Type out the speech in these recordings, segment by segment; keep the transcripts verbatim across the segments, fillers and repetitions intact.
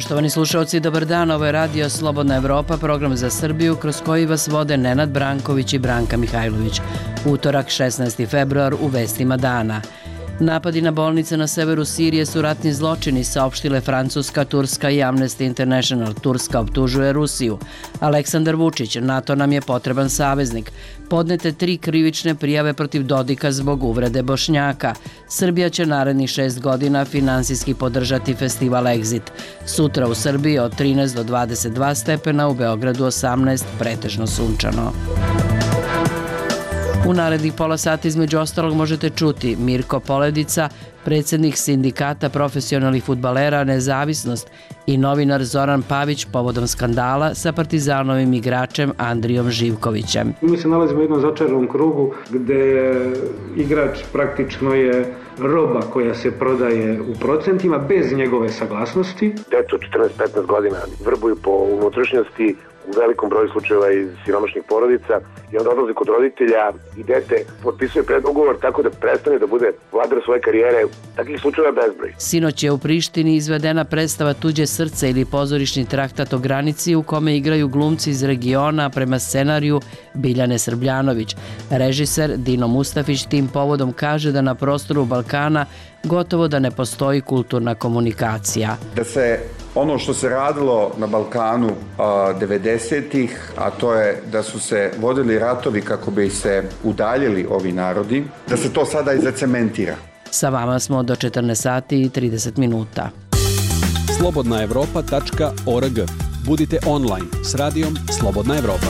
Poštovani slušalci, dobar dan, ovo je Radio Slobodna Evropa, program za Srbiju kroz koji vas vode Nenad Branković i Branka Mihajlović. Utorak, šesnaesti februar, u vestima dana. Napadi na bolnice na severu Sirije su ratni zločini, saopštile Francuska, Turska i Amnesty International. Turska optužuje Rusiju. Aleksandar Vučić, NATO nam je potreban saveznik. Podnete tri krivične prijave protiv Dodika zbog uvrede Bošnjaka. Srbija će narednih šest godina finansijski podržati festival Exit. Sutra u Srbiji od trinaest do dvadeset dva stepena, u Beogradu osamnaest, pretežno sunčano. U narednih pola sata između ostalog možete čuti Mirko Poledica, predsjednik sindikata profesionalnih fudbalera Nezavisnost i novinar Zoran Pavić povodom skandala sa Partizanovim igračem Andrijom Živkovićem. Mi se nalazimo u jednom začaranom krugu gde igrač praktično je roba koja se prodaje u procentima bez njegove saglasnosti. Deco četrnaest petnaest godina vrbuju po unutrašnjosti, u velikom broju slučajeva iz siromašnih porodica, i onda odlaze kod roditelja i dete potpisuje predugovor tako da prestane da bude vladar svoje karijere. Takvih slučajeva bezbroj. Sinoć je u Prištini izvedena predstava Tuđe srce ili pozorišni traktat o granici u kome igraju glumci iz regiona prema scenariju Biljane Srbljanović. Režiser Dino Mustafić tim povodom kaže da na prostoru Balkana gotovo da ne postoji kulturna komunikacija. Da se ono što se radilo na Balkanu devedesetih, a to je da su se vodili ratovi kako bi se udaljili ovi narodi, da se to sada i zacementira. Sa vama smo do četrnaest sati i trideset minuta. slobodna evropa tačka org. Budite online s radijom Slobodna Evropa.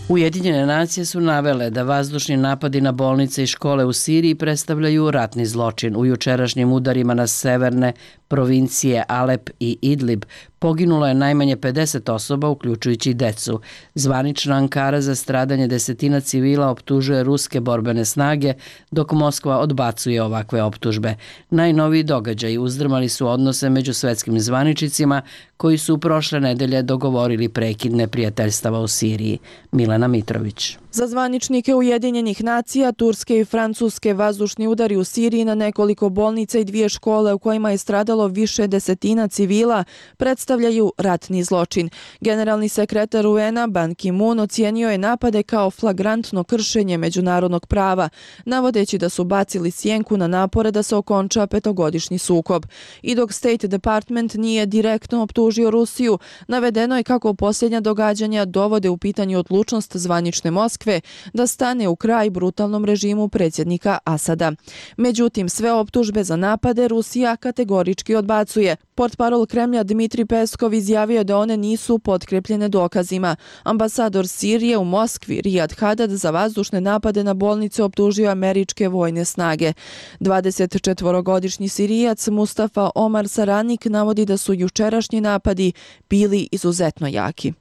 Ujedinjene nacije su navele da vazdušni napadi na bolnice i škole u Siriji predstavljaju ratni zločin. U jučerašnjim udarima na severne provincije Alep i Idlib poginulo je najmanje pedeset osoba, uključujući i decu. Zvanična Ankara za stradanje desetina civila optužuje ruske borbene snage, dok Moskva odbacuje ovakve optužbe. Najnoviji događaji uzdrmali su odnose među svetskim zvaničnicima koji su prošle nedelje dogovorili prekid neprijateljstava u Siriji. Milena Mitrović. Za zvaničnike Ujedinjenih nacija, turske i francuske vazdušni udari u Siriji na nekoliko bolnica i dvije škole u kojima je stradalo više desetina civila predstavljaju ratni zločin. Generalni sekretar U N-a Ban Ki-moon ocijenio je napade kao flagrantno kršenje međunarodnog prava, navodeći da su bacili sjenku na napore da se okonča petogodišnji sukob. I dok State Department nije direktno optužio Rusiju, navedeno je kako posljednja događanja dovode u pitanje odlučnost zvanične Moskve da stane u kraj brutalnom režimu predsjednika Asada. Međutim, sve optužbe za napade Rusija kategorički odbacuje. Portparol Kremlja Dmitri Peskov izjavio da one nisu potkrepljene dokazima. Ambasador Sirije u Moskvi Riyad Hadad za vazdušne napade na bolnice optužio američke vojne snage. dvadesetčetvorogodišnji Sirijac Mustafa Omar Saranik navodi da su jučerašnji napadi bili izuzetno jaki.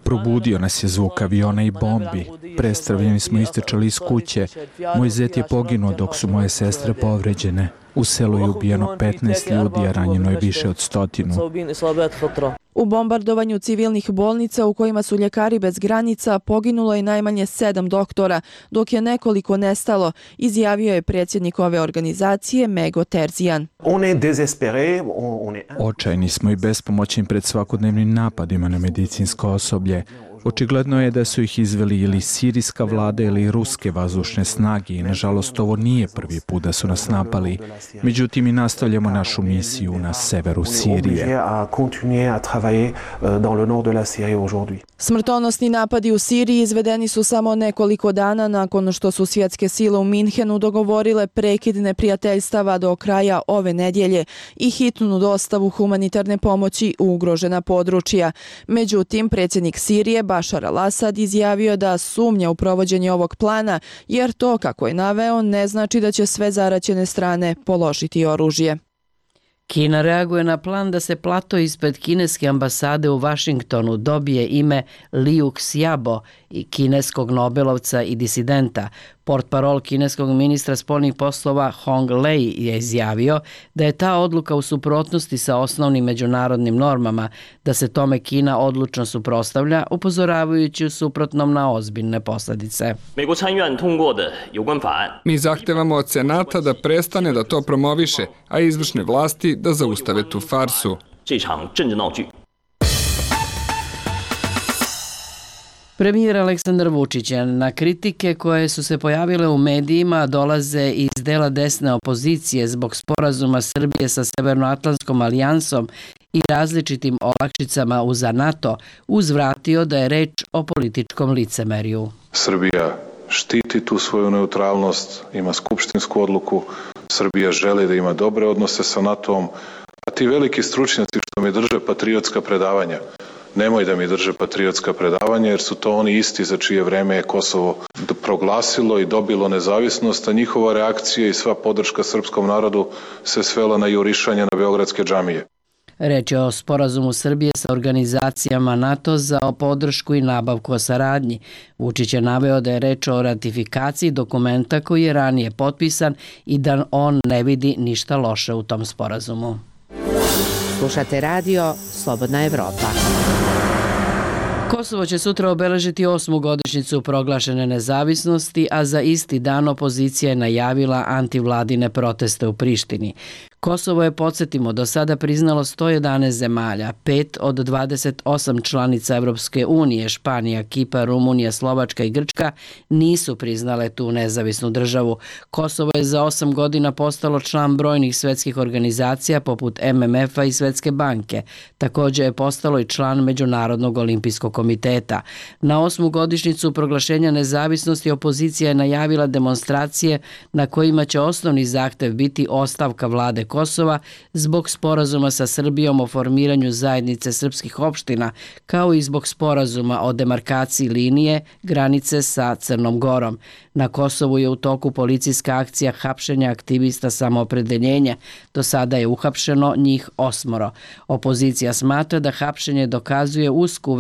Probudio nas je zvuk aviona i bombi. Prestravljeni smo istrčali iz kuće. Moj zet je poginuo dok su moje sestre povređene. U selu je ubijeno petnaest ljudi, a ranjeno je više od stotinu. U bombardovanju civilnih bolnica u kojima su ljekari bez granica poginulo je najmanje sedam doktora, dok je nekoliko nestalo, izjavio je predsjednik ove organizacije Mego Terzian. Očajni smo i bespomoćni pred svakodnevnim napadima na medicinsko osoblje. Očigledno je da su ih izveli ili sirijska vlada ili ruske vazdušne snage i nažalost ovo nije prvi put da su nas napali. Međutim i nastavljamo našu misiju na severu Sirije. Smrtonosni napadi u Siriji izvedeni su samo nekoliko dana nakon što su svjetske sile u Minhenu dogovorile prekid neprijateljstava do kraja ove nedjelje i hitnu dostavu humanitarne pomoći u ugrožena područja. Međutim, predsjednik Sirije Bašar al-Asad izjavio da sumnja u provođenje ovog plana, jer to, kako je naveo, ne znači da će sve zaraćene strane položiti oružje. Kina reaguje na plan da se plato ispred kineske ambasade u Vašingtonu dobije ime Liu Xiaobo i kineskog nobelovca i disidenta. Portparol kineskog ministra spoljnih poslova Hong Lei je izjavio da je ta odluka u suprotnosti sa osnovnim međunarodnim normama, da se tome Kina odlučno suprotstavlja, upozoravajući u suprotnom na ozbiljne posljedice. Mi zahtevamo od Senata da prestane da to promoviše, a izvršne vlasti da zaustave tu farsu. Premijer Aleksandar Vučić na kritike koje su se pojavile u medijima dolaze iz dela desne opozicije zbog sporazuma Srbije sa Severnoatlantskom alijansom i različitim olakšicama uza NATO, uzvratio da je reč o političkom licemerju. Srbija štiti tu svoju neutralnost, ima skupštinsku odluku, Srbija želi da ima dobre odnose sa NATO-om, a ti veliki stručnjaci što mi drže patriotska predavanja, nemoj da mi drže patriotska predavanja jer su to oni isti za čije vreme je Kosovo proglasilo i dobilo nezavisnost, a njihova reakcija i sva podrška srpskom narodu se svela na jurišanje na beogradske džamije. Reč je o sporazumu Srbije sa organizacijama NATO za podršku i nabavku o saradnji. Vučić je naveo da je reč o ratifikaciji dokumenta koji je ranije potpisan i da on ne vidi ništa loše u tom sporazumu. Slušate radio Slobodna Evropa. Kosovo će sutra obeležiti osmu godišnjicu proglašene nezavisnosti, a za isti dan opozicija je najavila antivladine proteste u Prištini. Kosovo je, podsjetimo, do sada priznalo sto jedanaest zemalja, pet od dvadeset osam članica Evropske unije, Španija, Kipar, Rumunija, Slovačka i Grčka, nisu priznale tu nezavisnu državu. Kosovo je za osam godina postalo član brojnih svetskih organizacija poput M M F-a i Svetske banke. Također je postalo i član Međunarodnog olimpijskog komiteta. Na osmu godišnjicu proglašenja nezavisnosti opozicija je najavila demonstracije na kojima će osnovni zahtev biti ostavka vlade Kosova zbog sporazuma sa Srbijom o formiranju zajednice srpskih opština, kao i zbog sporazuma o demarkaciji linije granice sa Crnom Gorom. Na Kosovu je u toku policijska akcija hapšenja aktivista Samoopredeljenja. Do sada je uhapšeno njih osmoro. Opozicija smatra da hapšenje dokazuje usku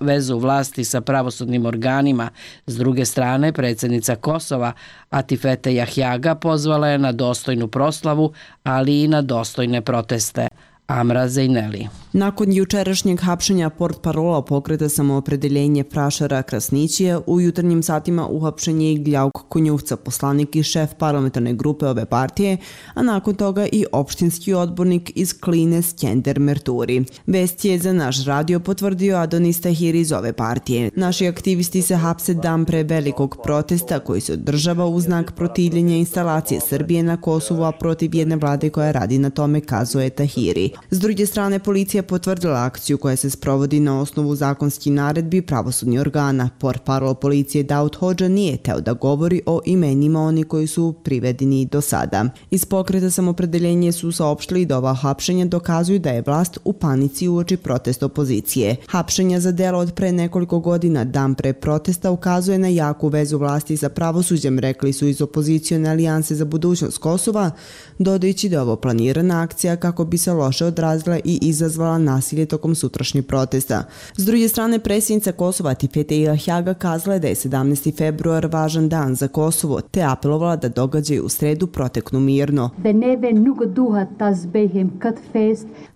vezu vlasti sa pravosudnim organima. S druge strane, predsjednica Kosova, Atifete Jahjaga, pozvala je na dostojnu proslavu, ali i na dostojne proteste. Amra Zejneli. Nakon jučerašnjeg hapšenja portparola pokreta Samoopredeljenje Prašara Krasnićija, u jutarnjim satima uhapšen je i Gljauk Konjuhca, poslanik i šef parlamentarne grupe ove partije, a nakon toga i opštinski odbornik iz Kline Skender Merturi. Vest je za naš radio potvrdio Adonis Tahiri iz ove partije. Naši aktivisti se hapse dan pre velikog protesta koji se održava u znak protivljenja instalacije Srbije na Kosovu, a protiv jedne vlade koja radi na tome, kazuje Tahiri. S druge strane, policija potvrdila akciju koja se sprovodi na osnovu zakonskih naredbi pravosudnih organa. Portparol policije Daud Hodža nije teo da govori o imenima oni koji su privedeni do sada. Iz pokreta Samoopredeljenje su saopštili da ova hapšenja dokazuju da je vlast u panici uoči protesta opozicije. Hapšenja za delo od pre nekoliko godina, dan pre protesta, ukazuje na jaku vezu vlasti sa pravosuđem, rekli su iz opozicione alijanse za budućnost Kosova, dodajući da je ovo planirana akcija kako bi se loše odrazila i izazvala nasilje tokom sutrašnjeg protesta. S druge strane, predsjednica Kosova Atifete Jahjaga kazala je da je sedamnaesti februar važan dan za Kosovo, te apelovala da događaji u sredu proteknu mirno.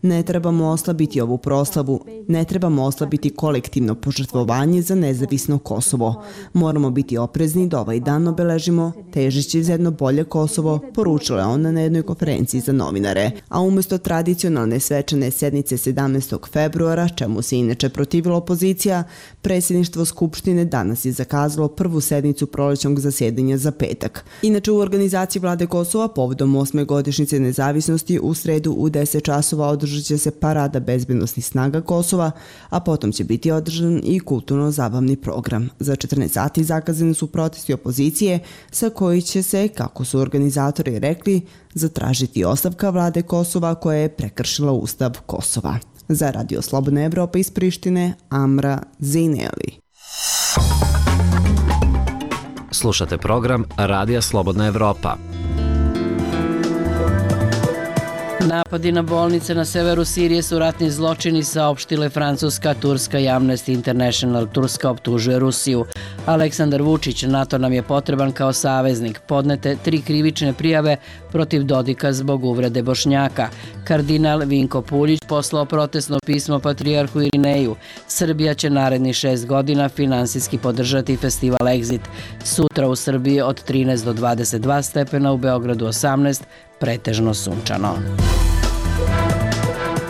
Ne trebamo oslabiti ovu proslavu, ne trebamo oslabiti kolektivno požrtvovanje za nezavisno Kosovo. Moramo biti oprezni da ovaj dan obeležimo, težići za jedno bolje Kosovo, poručila je ona na jednoj konferenciji za novinare. A umjesto tradicionalne svečane sednice sedamnaestog februara, čemu se inače protivila opozicija, predsjedništvo Skupštine danas je zakazalo prvu sednicu prolećnog zasjedanja za petak. Inače, u organizaciji vlade Kosova povodom osme godišnjice nezavisnosti u sredu u deset časova održat će se parada bezbednosnih snaga Kosova, a potom će biti održan i kulturno-zabavni program. Za četrnaest sati zakazani su protesti opozicije sa koji će se, kako su organizatori rekli, zatražiti ostavka vlade Kosova koja je prekršila Ustav Kosova. Za Radio Slobodna Evropa iz Prištine, Amra Zejneli. Slušate program Radija Slobodna Evropa. Napadi na bolnice na severu Sirije su ratni zločini, saopštile Francuska, Turska i Amnesty International. Turska optužuje Rusiju. Aleksandar Vučić: NATO nam je potreban kao saveznik. Podnete tri krivične prijave protiv Dodika zbog uvrede Bošnjaka. Kardinal Vinko Puljić poslao protestno pismo patrijarhu Irineju. Srbija će naredni šest godina finansijski podržati festival Exit. Sutra u Srbiji od trinaest do dvadeset dva stepena, u Beogradu osamnaest, pretežno sunčano.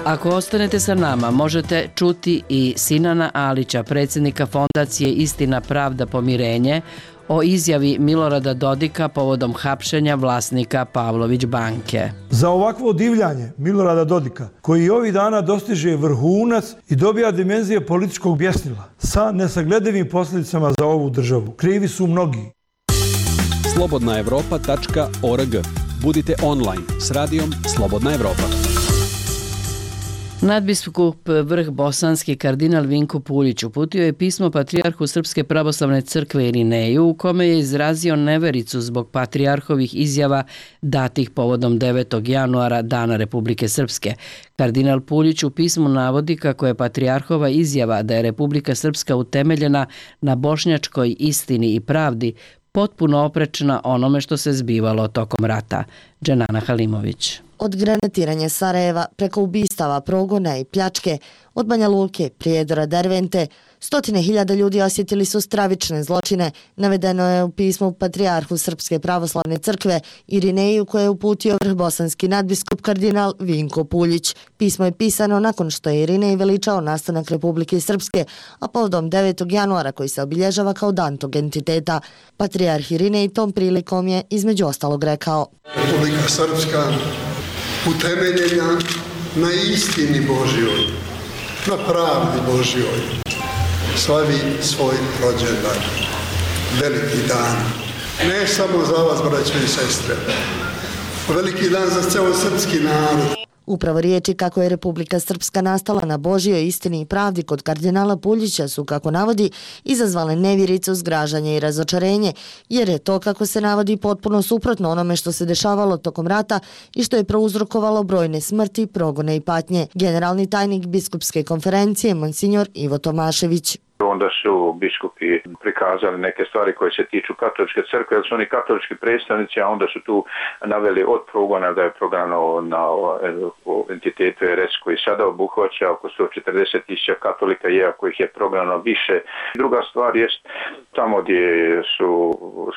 Ako ostanete sa nama, možete čuti i Sinana Alića, predsjednika Fondacije Istina, pravda, pomirenje, o izjavi Milorada Dodika povodom hapšenja vlasnika Pavlović banke. Za ovakvo divljanje Milorada Dodika, koji ovih dana dostiže vrhunac i dobija dimenzije političkog bjesnila sa nesagledivim posljedicama za ovu državu, krivi su mnogi. slobodna evropa tačka org. Budite online s radijom Slobodna Evropa. Nadbiskup vrh bosanski kardinal Vinko Puljić uputio je pismo patrijarhu Srpske pravoslavne crkve Irineju, u kome je izrazio nevericu zbog patrijarhovih izjava datih povodom devetog januara, Dana Republike Srpske. Kardinal Puljić u pismu navodi kako je patrijarhova izjava da je Republika Srpska utemeljena na bošnjačkoj istini i pravdi potpuno oprečna onome što se zbivalo tokom rata. Dženana Halimović. Od granatiranja Sarajeva preko ubistava, progona i pljačke, od Banja Luke, Prijedora, Dervente, stotine hiljada ljudi osjetili su stravične zločine, navedeno je u pismu patrijarhu Srpske pravoslavne crkve Irineju, koje je uputio vrh bosanski nadbiskup kardinal Vinko Puljić. Pismo je pisano nakon što je Irinej veličao nastanak Republike Srpske, a povodom devetog januara, koji se obilježava kao dan tog entiteta. Patrijarh Irinej tom prilikom je između ostalog rekao: Republika Srpska utemeljena na istini Božjoj, na pravdi Božjoj, slavi svoj rođendan, veliki dan. Ne samo za vas, braćo i sestre, veliki dan za ceo srpski narod. Upravo riječi kako je Republika Srpska nastala na Božjoj istini i pravdi kod kardinala Puljića su, kako navodi, izazvale nevjericu, zgražanje i razočarenje, jer je to, kako se navodi, potpuno suprotno onome što se dešavalo tokom rata i što je prouzrokovalo brojne smrti, progone i patnje. Generalni tajnik biskupske konferencije, monsignor Ivo Tomašević. Onda su biskupi prikazali neke stvari koje se tiču katoličke crkve, jer su oni katolički predstavnici, a onda su tu naveli od progona da je prognano na entitetu R S koji sada obuhvaća oko sto četrdeset tisuća katolika, iako ih je prognano više. Druga stvar je tamo gdje su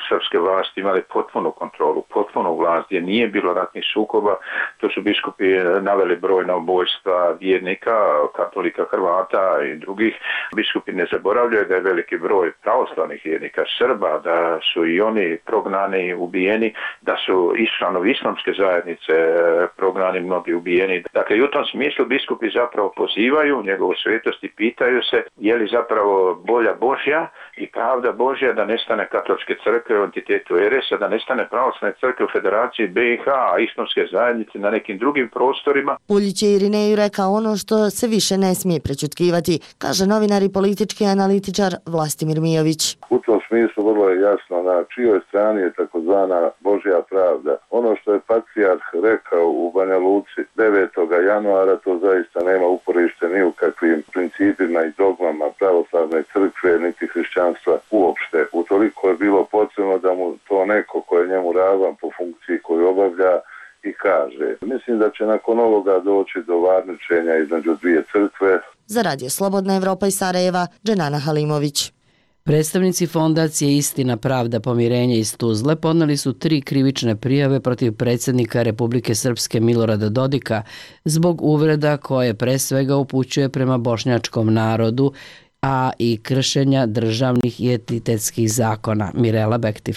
srpske vlasti imali potpunu kontrolu, potpunu vlast, gdje nije bilo ratnih sukoba, to su biskupi naveli brojna ubojstva vjernika, katolika, Hrvata i drugih. Biskupi ne zaboravljaju da je veliki broj pravoslavnih vjernika Srba, da su i oni prognani, ubijeni, da su i članovi islamske zajednice prognani, mnogi ubijeni. Dakle, i u tom smislu biskupi zapravo pozivaju njegovu svetost i pitaju se je li zapravo volja Božja i pravda Božja da nestane katoličke crkve u entitetu R S, da nestane pravoslavne crkve u Federaciji B i H, a islamske zajednice na nekim drugim prostorima. Puljić je Irineju rekao ono što se više ne smije prečutkivati, kaže novinar i politički analitičar Vlastimir Mijović. U tom smislu vrlo je jasno na čijoj strani je takozvana Božja pravda. Ono što je patrijarh rekao u Banja Luci devetog januara, to zaista nema uporište ni u kakvim principima i dogmama pravoslavne crkve niti hrišćanstva uopšte. Utoliko je bilo potrebno da mu to neko ko je njemu ravan po funkciji koju obavlja i kaže. Mislim da će nakon ovoga doći do varničenja između dvije crkve. Za Radio Slobodna Evropa iz Sarajeva, Dženana Halimović. Predstavnici Fondacije Istina, pravda, pomirenje iz Tuzle podneli su tri krivične prijave protiv predsjednika Republike Srpske Milorada Dodika zbog uvreda koje pre svega upućuje prema bošnjačkom narodu, a i kršenja državnih i entitetskih zakona. Mirela Bektiv.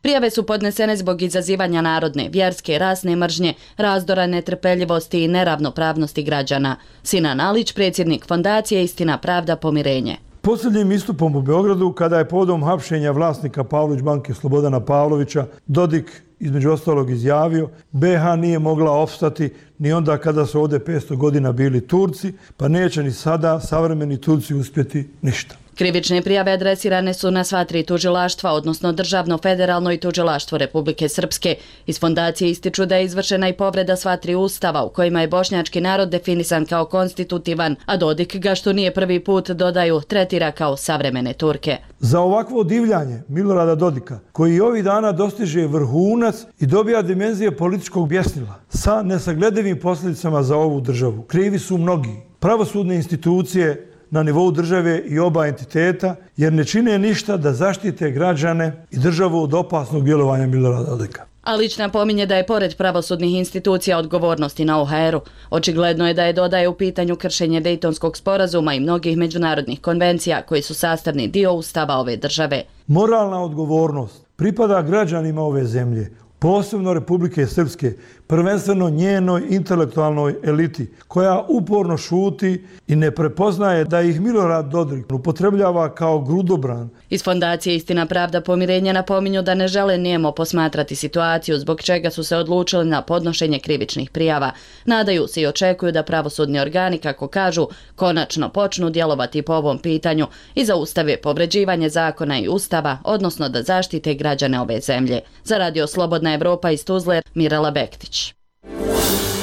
Prijave su podnesene zbog izazivanja narodne, vjerske, rasne mržnje, razdora, netrpeljivosti i neravnopravnosti građana. Sinan Alić, predsjednik Fondacije Istina, pravda, pomirenje. Posljednjim istupom u Beogradu, kada je povodom hapšenja vlasnika Pavlović banke Slobodana Pavlovića, Dodik između ostalog izjavio: B H nije mogla opstati ni onda kada su ovdje petsto godina bili Turci, pa neće ni sada savremeni Turci uspjeti ništa. Krivične prijave adresirane su na sva tri tužilaštva, odnosno Državno federalno i tužilaštvo Republike Srpske. Iz fondacije ističu da je izvršena i povreda sva tri ustava u kojima je bošnjački narod definisan kao konstitutivan, a Dodik ga, što nije prvi put, dodaju, tretira kao savremene Turke. Za ovakvo divljanje Milorada Dodika, koji ovih dana dostiže vrhunac i dobija dimenzije političkog bjesnila, sa nesagledivim posljedicama za ovu državu, krivi su mnogi. Pravosudne institucije na nivou države i oba entiteta, jer ne čine ništa da zaštite građane i državu od opasnog djelovanja Milorada Dodika. Alić napominje da je pored pravosudnih institucija odgovornosti na O H R-u. Očigledno je da je, dodaje, u pitanju kršenje Dejtonskog sporazuma i mnogih međunarodnih konvencija koji su sastavni dio ustava ove države. Moralna odgovornost pripada građanima ove zemlje, posebno Republike Srpske, prvenstveno njenoj intelektualnoj eliti, koja uporno šuti i ne prepoznaje da ih Milorad Dodik upotrebljava kao grudobran. Iz fondacije Istina, pravda, pomirenje napominju da ne žele nijemo posmatrati situaciju, zbog čega su se odlučili na podnošenje krivičnih prijava. Nadaju se i očekuju da pravosudni organi, kako kažu, konačno počnu djelovati po ovom pitanju i zaustave povređivanje zakona i ustava, odnosno da zaštite građane ove zemlje. Za Radio Slobodna Evropa iz Tuzle, Mirela Bektić.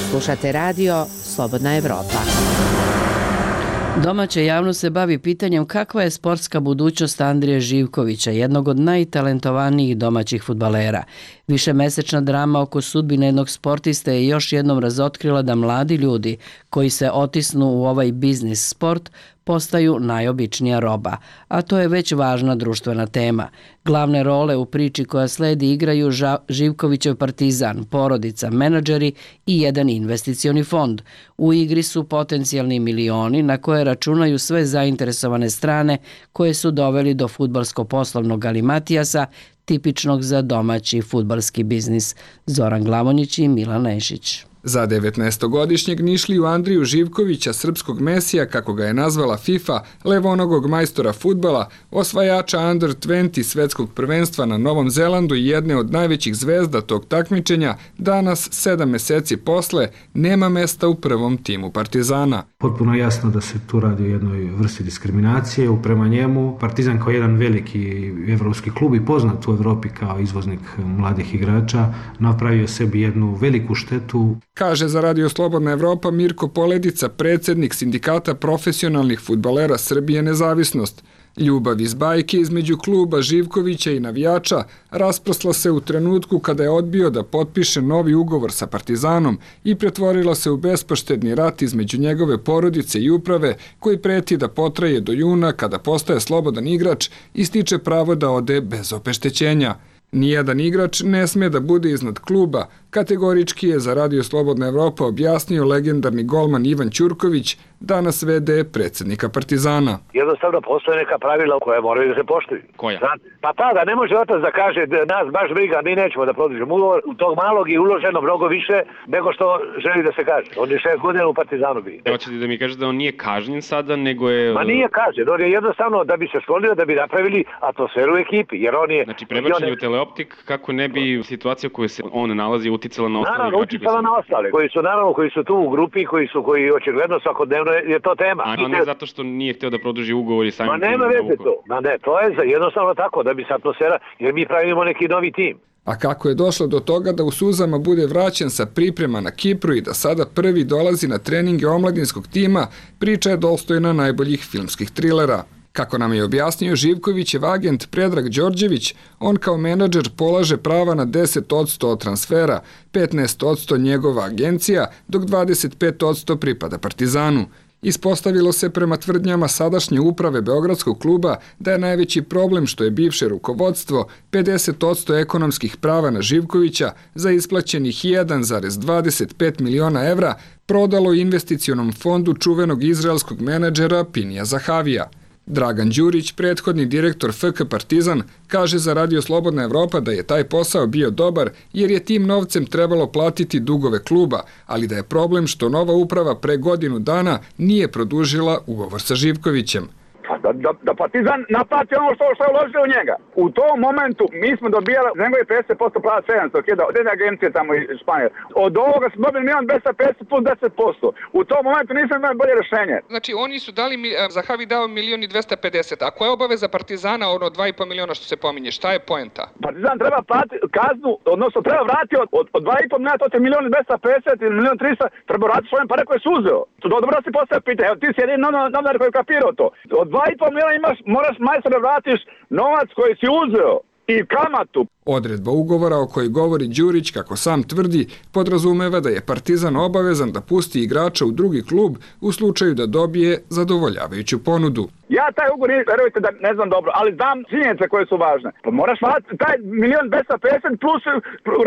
Slušate radio Slobodna Evropa. Domaća javnost se bavi pitanjem kakva je sportska budućnost Andrije Živkovića, jednog od najtalentovanijih domaćih fudbalera. Višemesečna drama oko sudbine jednog sportiste je još jednom razotkrila da mladi ljudi koji se otisnu u ovaj biznis sport postaju najobičnija roba, a to je već važna društvena tema. Glavne role u priči koja sledi igraju Živkovićev Partizan, porodica, menadžeri i jedan investicioni fond. U igri su potencijalni milioni na koje računaju sve zainteresovane strane koje su doveli do fudbalsko-poslovnog galimatijasa, tipičnog za domaći fudbalski biznis. Zoran Glavonjić i Milan Nešić. Za devetnaestogodišnjeg Nišliju Andriju Živkovića, srpskog mesija, kako ga je nazvala FIFA, levonogog majstora fudbala, osvajača Under dvadeset svetskog prvenstva na Novom Zelandu i jedne od najvećih zvezda tog takmičenja, danas, sedam meseci posle, nema mesta u prvom timu Partizana. Potpuno jasno da se tu radi o jednoj vrsti diskriminacije. Prema njemu, Partizan kao jedan veliki evropski klub i poznat u Evropi kao izvoznik mladih igrača, napravio sebi jednu veliku štetu. Kaže za Radio Slobodna Evropa Mirko Poledica, predsjednik Sindikata profesionalnih fudbalera Srbije Nezavisnost. Ljubav iz bajke između kluba Živkovića i navijača rasprosla se u trenutku kada je odbio da potpiše novi ugovor sa Partizanom i pretvorila se u bespoštedni rat između njegove porodice i uprave koji preti da potraje do juna kada postaje slobodan igrač i stiče pravo da ode bez obeštećenja. Nijedan igrač ne sme da bude iznad kluba, kategorički je za Radio Slobodna Evropa objasnio legendarni golman Ivan Ćurković, danas ve de predsjednika Partizana. Jednostavno postoje neka pravila koje moraju da se poštuju. Koja? Pa ta da ne može otac da kaže da nas baš briga, mi nećemo da produžimo ugovor, u tog malog je uloženo mnogo više nego što želi da se kaže. On je šest godina u Partizanu bio. Hoćete da mi kažete da on nije kažnjen sada, nego je... Ma nije kažnjen, on je jednostavno da bi se sklonio, da bi napravili atmosferu u ekipi, jer on je... Znači prebačen je u teleoptik kako ne bi situacija koju se on nalazi uticala na ostale. Naravno, uticala na ostale, koji su naravno koji su tu u grupi, koji su koji očigledno svakodnevno je to tema. A ne zato što nije htio da produži ugovor i samim tim... Ma nema veze to. Ma ne, to je jednostavno tako, da bi se atmosfera, jer mi pravimo neki novi tim. A kako je došlo do toga da u suzama bude vraćen sa priprema na Kipru i da sada prvi dolazi na treninge omladinskog tima, priča je dostojna najboljih filmskih trilera. Kako nam je objasnio Živkovićev agent Predrag Đorđević, on kao menadžer polaže prava na deset posto od transfera, petnaest posto njegova agencija, dok dvadeset pet posto pripada Partizanu. Ispostavilo se prema tvrdnjama sadašnje uprave Beogradskog kluba da je najveći problem što je bivše rukovodstvo pedeset posto ekonomskih prava na Živkovića za isplaćenih jedan zarez dvadeset pet miliona evra prodalo investicionom fondu čuvenog izraelskog menadžera Pinija Zahavija. Dragan Đurić, prethodni direktor F K Partizan, kaže za Radio Slobodna Evropa da je taj posao bio dobar jer je tim novcem trebalo platiti dugove kluba, ali da je problem što nova uprava pre godinu dana nije produžila ugovor sa Živkovićem. Pa Da, da, da Partizan naplati ono što, što je uložio u njega. U tom momentu mi smo dobijali njegovi pedeset posto plava sedamsto hiljada od jedne agencije tamo iz Španije. Od ovoga smo dobili milion dvesta pedeset plus deset posto. U tom momentu nismo imali bolje rješenje. Znači oni su dali, Zahavi dao milion i dvesta pedeset, a koja je obaveza Partizana ono dva i po miliona što se pominje, šta je poenta? Partizan treba platiti kaznu, odnosno treba vratiti od, od, od dva i po miliona, to je milion dvesta pedeset ili milion trista, treba vratiti svoje pare koje su uzeo. To dobro da si postavio pitanje, evo ti si jedin novinar koji je kapirao to. Od dva i po miliona imaš, moraš majstore vratiš novac koji si uzeo i kamatu. Odredba ugovora o kojoj govori Đurić, kako sam tvrdi, podrazumeva da je Partizan obavezan da pusti igrača u drugi klub u slučaju da dobije zadovoljavajuću ponudu. Ja taj ugovor, verujte da ne znam dobro, ali znam činjenice koje su važne. Pa moraš vratiti taj milion dvesta pedeset plus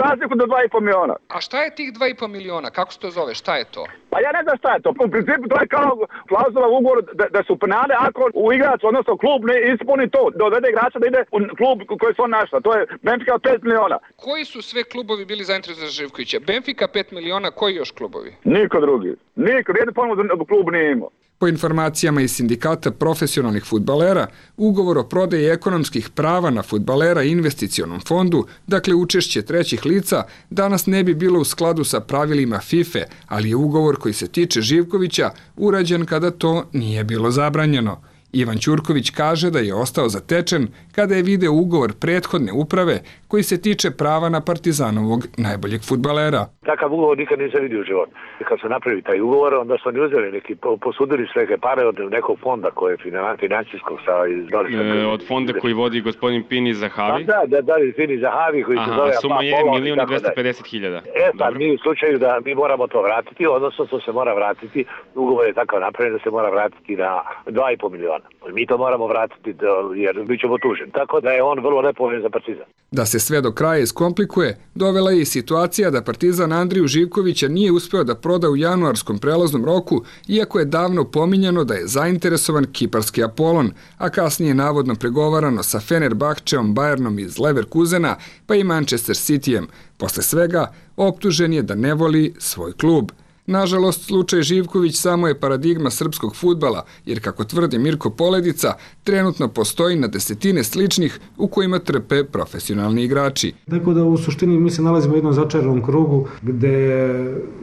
razliku do dva i po miliona. A šta je tih dva i po miliona? Kako se to zove? Šta je to? Pa ja ne znam šta je to. U principu to je kao klauzula u ugovoru da, da su penale ako u igrač, odnosno klub ne ispuni to, dovede igrača da ide u klub koji su on našla. To je Benfica od pet miliona. Koji su sve klubovi bili zainteresovani za Živkovića? Benfica pet miliona, koji još klubovi? Niko drugi. Niko, jednu ponudu klub nije imao. Po informacijama iz sindikata profesionalnih fudbalera, ugovor o prodaji ekonomskih prava na fudbalera i investicionom fondu, dakle učešće trećih lica, danas ne bi bilo u skladu sa pravilima FIFA, ali je ugovor koji se tiče Živkovića urađen kada to nije bilo zabranjeno. Ivan Ćurković kaže da je ostao zatečen kada je video ugovor prethodne uprave koji se tiče prava na Partizanovog najboljeg fudbalera. Takav ugovor nikad nisam vidio u životu. Kad se napravi taj ugovor, onda su oni uzeli neki, posudili sve neke pare od nekog fonda koje je financijskog sa iz e, od fonda koji vodi gospodin Pini Zahavi? Da, da, da, Pini Zahavi koji se zove... Aha, suma je milion i dvesta pedeset hiljada. E, pa mi u slučaju da mi moramo to vratiti, odnosno to se mora vratiti, ugovor je takav napravljen da se mora vratiti na dva i po miliona. Mi to moramo vratiti jer bit ćemo tuženi. Tako da je on vrlo nepovoljan za Partizan. Da se sve do kraja iskomplikuje, dovela je i situacija da Partizan Andriju Živkovića nije uspeo da proda u januarskom prelaznom roku, iako je davno pominjano da je zainteresovan kiparski Apolon, a kasnije navodno pregovarano sa Fenerbahčeom, Bayernom iz Leverkusena, pa i Manchester Cityjem. Posle svega, optužen je da ne voli svoj klub. Nažalost, slučaj Živković samo je paradigma srpskog fudbala, jer kako tvrdi Mirko Poledica, trenutno postoji na desetine sličnih u kojima trpe profesionalni igrači. Tako da u suštini mi se nalazimo u jednom začaranom krugu gde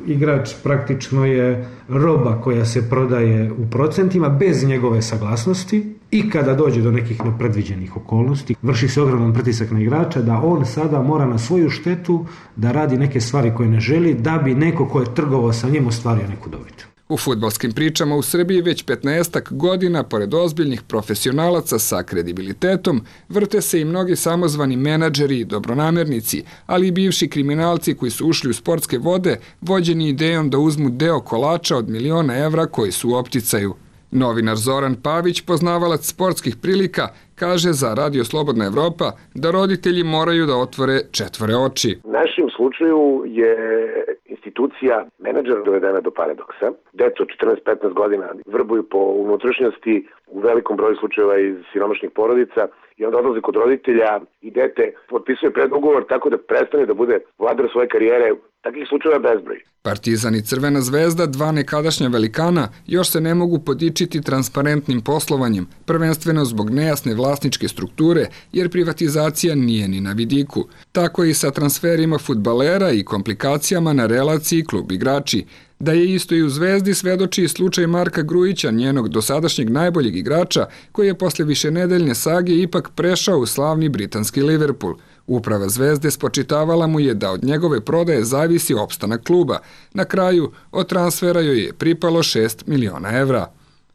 igrač praktično je roba koja se prodaje u procentima bez njegove saglasnosti i kada dođe do nekih nepredviđenih okolnosti, vrši se ogroman pritisak na igrača da on sada mora na svoju štetu da radi neke stvari koje ne želi da bi neko ko je trgovao sa njim ostvario neku dobit. U fudbalskim pričama u Srbiji već petnaestak godina, pored ozbiljnih profesionalaca sa kredibilitetom, vrte se i mnogi samozvani menadžeri i dobronamernici, ali i bivši kriminalci koji su ušli u sportske vode, vođeni idejom da uzmu deo kolača od miliona evra koji su u opticaju. Novinar Zoran Pavić, poznavalac sportskih prilika, kaže za Radio Slobodna Evropa da roditelji moraju da otvore četvore oči. U našem slučaju je institucija menadžera dovedena do paradoksa. Deca od četrnaest petnaest godina vrbuju po unutrašnjosti u velikom broju slučajeva iz siromašnih porodica i onda odlaze kod roditelja i dete potpisuje predugovor tako da prestane da bude vladar svoje karijere. Takvih slučajeva bezbroj. Partizan i Crvena zvezda, dva nekadašnja velikana, još se ne mogu podičiti transparentnim poslovanjem, prvenstveno zbog nejasne vlasničke strukture, jer privatizacija nije ni na vidiku. Tako je i sa transferima fudbalera i komplikacijama na relaciji klub-igrači. Da je isto i u Zvezdi svedoči slučaj Marka Grujića, njenog dosadašnjeg najboljeg igrača, koji je posle višenedeljne sage ipak prešao u slavni britanski Liverpool. Uprava Zvezde spočitavala mu je da od njegove prodaje zavisi opstanak kluba. Na kraju, od transfera joj je pripalo šest miliona evra.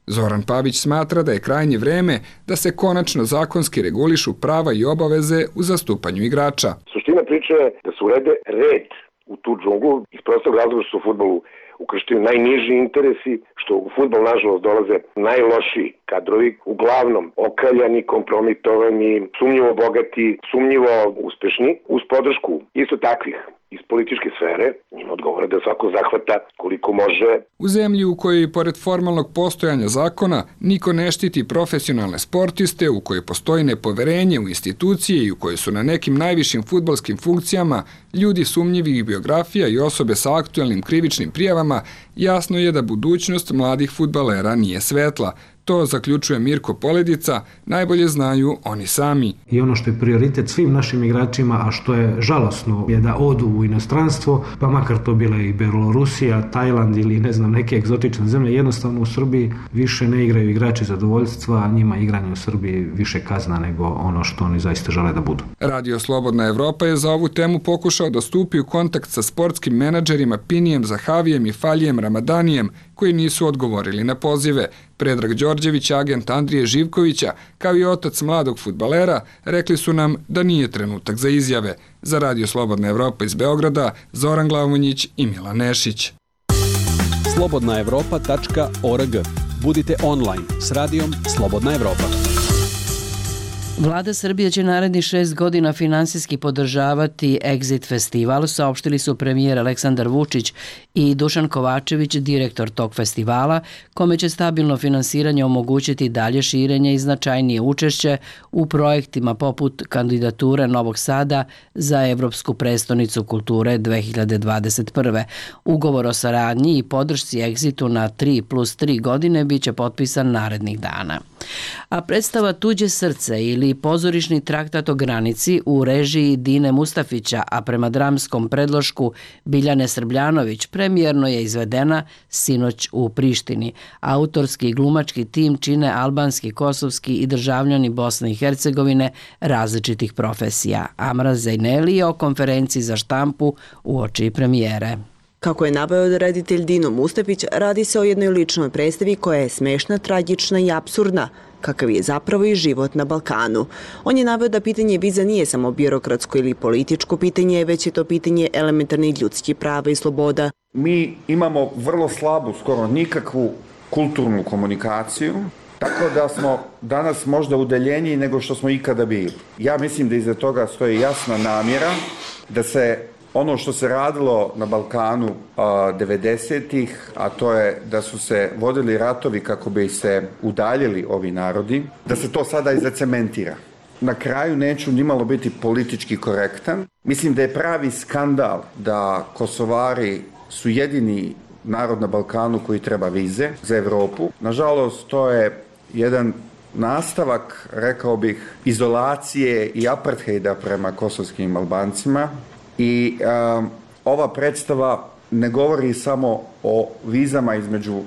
Zoran Pavić smatra da je krajnje vreme da se konačno zakonski regulišu prava i obaveze u zastupanju igrača. Suština priče je da se urede red u tu džunglu iz prostog razloga što su u fudbalu ukršteni najniži interesi, što u fudbal nažalost dolaze najlošiji kadrovi, uglavnom okaljani, kompromitovani, sumnjivo bogati, sumnjivo uspešni, uz podršku isto takvih iz političke sfere, njima odgovore da svako zahvata koliko može. U zemlji u kojoj, pored formalnog postojanja zakona, niko ne štiti profesionalne sportiste, u kojoj postoji nepoverenje u institucije i u kojoj su na nekim najvišim fudbalskim funkcijama ljudi sumnjivih biografija i osobe sa aktuelnim krivičnim prijavama, jasno je da budućnost mladih fudbalera nije svetla. To zaključuje Mirko Poledica, najbolje znaju oni sami. I ono što je prioritet svim našim igračima, a što je žalosno, je da odu u inostranstvo, pa makar to bila i Belorusija, Tajland ili ne znam neke egzotične zemlje, jednostavno u Srbiji više ne igraju igrači zadovoljstva, a njima igranje u Srbiji više kazna nego ono što oni zaista žele da budu. Radio Slobodna Evropa je za ovu temu pokušao da stupi u kontakt sa sportskim menadžerima Pinijem Zahavijem i Faljijem Ramadanijem, koji nisu odgovorili na pozive. Predrag Đorđević, agent Andrije Živkovića, kao i otac mladog fudbalera, rekli su nam da nije trenutak za izjave. Za Radio Slobodna Evropa iz Beograda, Zoran Glavonjić i Milan Nešić. slobodna evropa tačka org. Budite online s radijom Slobodna Evropa. Vlada Srbije će narednih šest godina finansijski podržavati Exit festival, saopštili su premijer Aleksandar Vučić i Dušan Kovačević, direktor tog festivala, kome će stabilno finansiranje omogućiti dalje širenje i značajnije učešće u projektima poput kandidature Novog Sada za Evropsku prestonicu kulture dve hiljade dvadeset prve. Ugovor o saradnji i podršci Exitu na tri plus tri godine biće potpisan narednih dana. A predstava Tuđe srce ili pozorišni traktat o granici u režiji Dine Mustafića, a prema dramskom predlošku Biljane Srbljanović, premijerno je izvedena sinoć u Prištini. Autorski i glumački tim čine albanski, kosovski i državljani Bosne i Hercegovine različitih profesija. Amra Zejneli je o konferenciji za štampu uoči premijere. Kako je naveo reditelj Dino Mustafić, radi se o jednoj ličnoj predstavi koja je smešna, tragična i apsurdna, kakav je zapravo i život na Balkanu. On je naveo da pitanje viza nije samo birokratsko ili političko pitanje, već je to pitanje elementarnih ljudskih prava i sloboda. Mi imamo vrlo slabu, skoro nikakvu kulturnu komunikaciju, tako da smo danas možda udaljeniji nego što smo ikada bili. Ja mislim da iza toga stoji jasna namjera da se ono što se radilo na Balkanu devedesetih, a to je da su se vodili ratovi kako bi se udaljili ovi narodi, da se to sada i zacementira. Na kraju neću nimalo biti politički korektan. Mislim da je pravi skandal da Kosovari su jedini narod na Balkanu koji treba vize za Evropu. Nažalost, to je jedan nastavak, rekao bih, izolacije i aparthejda prema kosovskim Albancima. I um, ova predstava ne govori samo o vizama između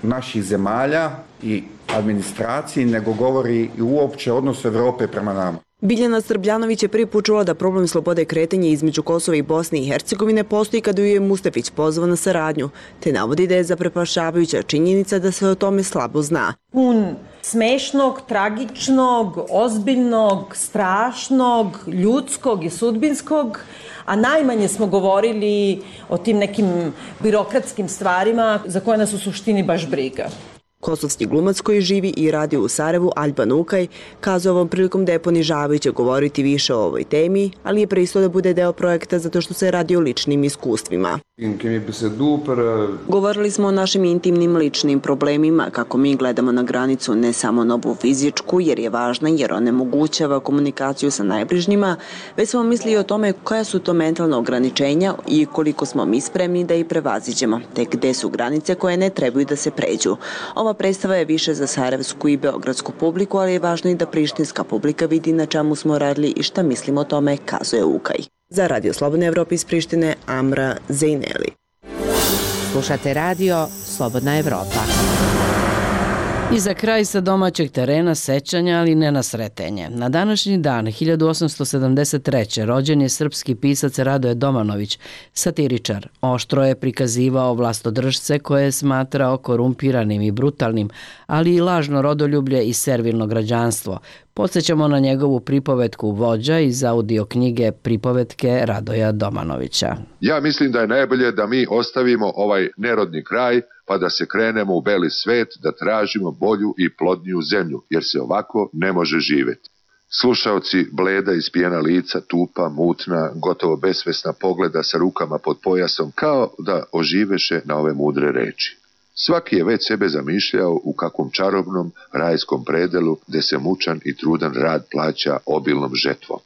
naših zemalja i administraciji, nego govori i uopće odnosu Evrope prema nama. Biljana Srbljanović je prvi put čula da problem slobode kretanja između Kosova i Bosne i Hercegovine postoji kada ju je Mustafić pozvao na saradnju, te navodi da je zaprepašavajuća činjenica da se o tome slabo zna. Pun smešnog, tragičnog, ozbiljnog, strašnog, ljudskog i sudbinskog, a najmanje smo govorili o tim nekim birokratskim stvarima za koje nas u suštini baš briga. Kosovski glumac koji živi i radi u Sarajevu, Alban Ukaj, kazao ovom prilikom da je ponižavajuće govoriti više o ovoj temi, ali je pristo da bude deo projekta zato što se radi o ličnim iskustvima. Govorili smo o našim intimnim ličnim problemima, kako mi gledamo na granicu ne samo na ovu fizičku, jer je važna, jer onemogućava komunikaciju sa najbližnjima, već smo mislili o tome koja su to mentalna ograničenja i koliko smo mi spremni da ih prevaziđemo, te gde su granice koje ne trebaju da se pređu. Ova predstava je više za sarajevsku i beogradsku publiku, ali je važno i da prištinska publika vidi na čemu smo radili i šta mislimo o tome, kazuje Ukaj. Za Radio Slobodne Evrope iz Prištine, Amra Zejneli. Slušate radio Slobodna Evropa. I za kraj sa domaćeg terena sećanja, ali ne na sretenje. Na današnji dan, hiljadu osamsto sedamdeset treće. rođen je srpski pisac Radoje Domanović, satiričar. Oštro je prikazivao vlastodržce koje je smatrao korumpiranim i brutalnim, ali i lažno rodoljublje i servilno građanstvo. Podsećamo na njegovu pripovetku Vođa iz audio knjige Pripovetke Radoja Domanovića. Ja mislim da je najbolje da mi ostavimo ovaj nerodni kraj pa da se krenemo u beli svet da tražimo bolju i plodniju zemlju, jer se ovako ne može živjeti. Slušaoci bleda ispijena lica, tupa, mutna, gotovo besvesna pogleda sa rukama pod pojasom, kao da oživeše na ove mudre reči. Svaki je već sebe zamišljao u kakvom čarobnom rajskom predelu gde se mučan i trudan rad plaća obilnom žetvom.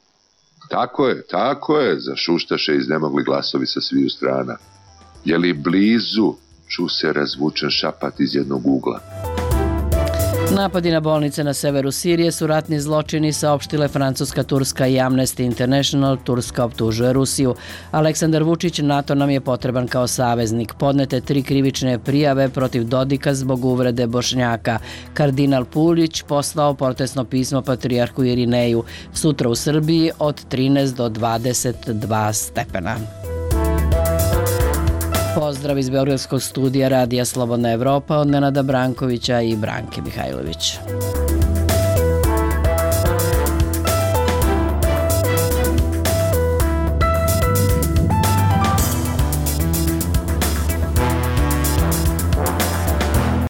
Tako je, tako je, zašuštaše iznemogli glasovi sa sviju strana. Je li blizu, ču se razvučen šapat iz jednog ugla. Napadi na bolnice na severu Sirije su ratni zločini, saopštile Francuska, Turska i Amnesty International. Turska optužuje Rusiju. Aleksandar Vučić: NATO nam je potreban kao saveznik. Podnete tri krivične prijave protiv Dodika zbog uvrede Bošnjaka. Kardinal Puljić poslao protestno pismo patrijarhu Irineju. Sutra u Srbiji od trinaest do dvadeset dva stepena. Pozdrav iz Beogradskog studija Radija Slobodna Evropa od Nenada Brankovića i Branke Mihajlović.